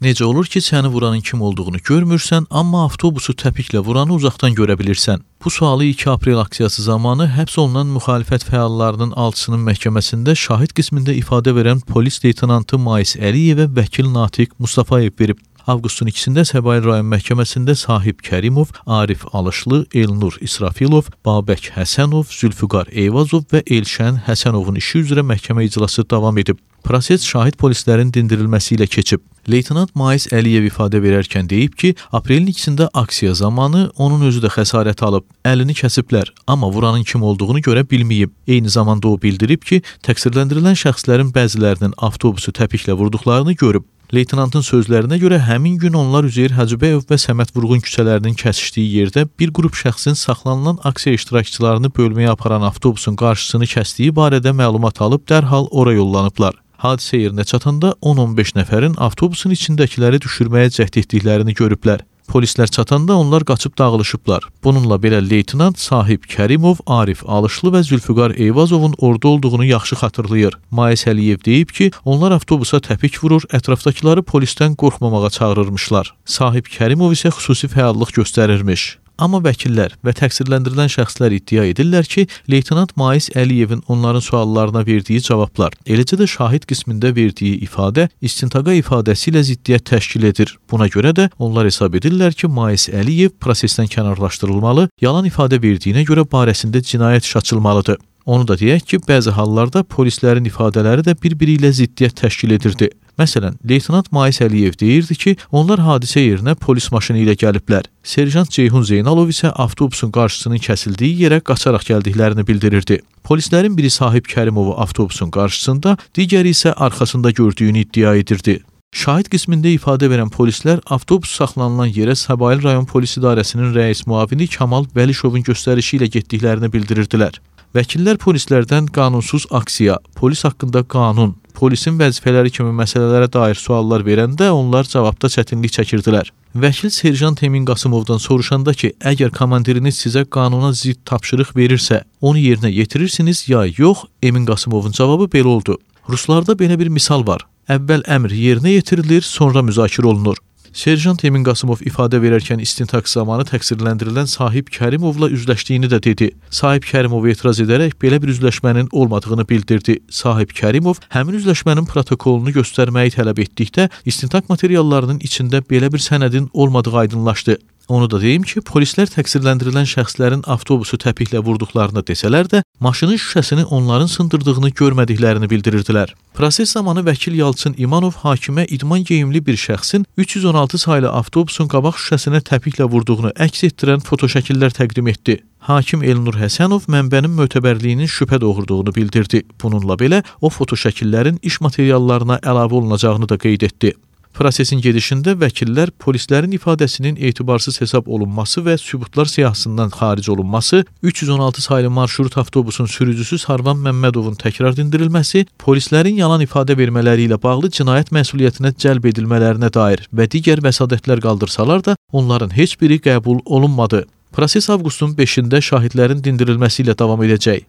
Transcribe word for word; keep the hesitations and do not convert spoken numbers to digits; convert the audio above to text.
Necə olur ki, səni vuranın kim olduğunu görmürsən, amma avtobusu təpiklə vuranı uzaqdan görə bilirsən? Bu sualı iki aprel aksiyası zamanı həbs olunan müxalifət fəallarının alçısının məhkəməsində şahid qismində ifadə verən polis leytenantı Mais Əliyevə vəkil Natiq Mustafayev verib. Avqustun ikisində Səbail rayon məhkəməsində Sahib Kərimov, Arif Alışlı, Elnur İsrafilov, Babək Həsənov, Zülfüqar Eyvazov və Elşən Həsənovun işi üzrə məhkəmə iclası davam edib. Proses şahid polislərin dindirilməsi ilə keçib. Leytenant Mais Əliyev ifadə verərkən deyib ki, aprelin ikisində aksiya zamanı onun özü də xəsarət alıb, əlini kəsiblər, amma vuranın kim olduğunu görə bilməyib. Eyni zamanda o bildirib ki, təqsirləndirilən şəxslərin bəzilərinin avtobusu təpiklə vurduqlarını görüb. Leytenantın sözlərinə görə həmin gün onlar Üzeyir Hacıbəyov və Səməd Vurğun küçələrinin kəsişdiyi yerdə bir qrup şəxsin saxlanılan aksiya iştirakçılarını bölməyə aparan avtobusun qarşısını kəsdiyi barədə məlumat alıb dərhal ora yollanıblar. Hadisə yerinə çatanda on on beş nəfərin avtobusun içindəkiləri düşürməyə cəhd etdiklərini görüblər. Polislər çatanda onlar qaçıb dağılışıblar. Bununla belə leytenant Sahib Kərimov, Arif Alışlı və Zülfüqar Eyvazovun orada olduğunu yaxşı xatırlayır. Mais Əliyev deyib ki, onlar avtobusa təpik vurur, ətrafdakıları polisdən qorxmamağa çağırırmışlar. Sahib Kərimov isə xüsusi fəallıq göstərirmiş. Amma vəkillər və təqsirləndirilən şəxslər iddia edirlər ki, leytenant Mais Əliyevin onların suallarına verdiyi cavablar, eləcə də şahid qismində verdiyi ifadə istintaqa ifadəsi ilə ziddiyyət təşkil edir. Buna görə də onlar hesab edirlər ki, Mais Əliyev prosesdən kənarlaşdırılmalı, yalan ifadə verdiyinə görə barəsində cinayət işi açılmalıdır. Onu da deyək ki, bəzi hallarda polislərin ifadələri də bir-biri ilə ziddiyyət təşkil edirdi. Məsələn, leytenant Mais Əliyev deyirdi ki, onlar hadisə yerinə polis maşını ilə gəliblər. Serjant Ceyhun Zeynalov isə avtobusun qarşısının kəsildiyi yerə qaçaraq gəldiklərini bildirirdi. Polislərin biri Sahib Kərimovu avtobusun qarşısında, digəri isə arxasında gördüyünü iddia edirdi. Şahid qismində ifadə verən polislər avtobus saxlanılan yerə Səbail rayon polis idarəsinin rəis müavini Kamal Vəlişovun göstərişi ilə getdiklərini bildirirdilər. Vəkillər polislərdən qanunsuz aksiya, polis haqqında qanun, polisin vəzifələri kimi məsələlərə dair suallar verəndə onlar cavabda çətinlik çəkirdilər. Vəkil Serjant Emin Qasımovdan soruşanda ki, əgər komandiriniz sizə qanuna zidd tapşırıq verirsə, onu yerinə yetirirsiniz ya yox, Emin Qasımovun cavabı belə oldu. Ruslarda belə bir misal var. Əvvəl əmr yerinə yetirilir, sonra müzakirə olunur. Serjant Emin Qasımov ifadə verərkən istintaq zamanı təqsirləndirilən Sahib Kərimovla üzləşdiyini də dedi. Sahib Kərimov etiraz edərək belə bir üzləşmənin olmadığını bildirdi. Sahib Kərimov həmin üzləşmənin protokolunu göstərməyi tələb etdikdə istintaq materiallarının içində belə bir sənədin olmadığı aydınlaşdı. Onu da deyim ki, polislər təqsirləndirilən şəxslərin avtobusu təpiklə vurduqlarını desələr də, maşının şüşəsini onların sındırdığını görmədiklərini bildirirdilər. Proses zamanı vəkil Yalçın İmanov hakimə idman geyimli bir şəxsin üç yüz on altı saylı avtobusun qabaq şüşəsinə təpiklə vurduğunu əks etdirən fotoşəkillər təqdim etdi. Hakim Elnur Həsənov mənbənin mötəbərliyinin şübhə doğurduğunu bildirdi. Bununla belə, o fotoşəkillərin iş materiallarına əlavə olunacağını da qeyd etdi. Prosesin gedişində vəkillər polislərin ifadəsinin etibarsız hesab olunması və sübutlar siyahısından xaric olunması, üç yüz on altı saylı marşrut avtobusun sürücüsü Sarvan Məmmədovun təkrar dindirilməsi, polislərin yalan ifadə vermələri ilə bağlı cinayət məsuliyyətinə cəlb edilmələrinə dair və digər vəsadətlər qaldırsalar da, onların heç biri qəbul olunmadı. Proses avqustun beşində şahidlərin dindirilməsi ilə davam edəcək.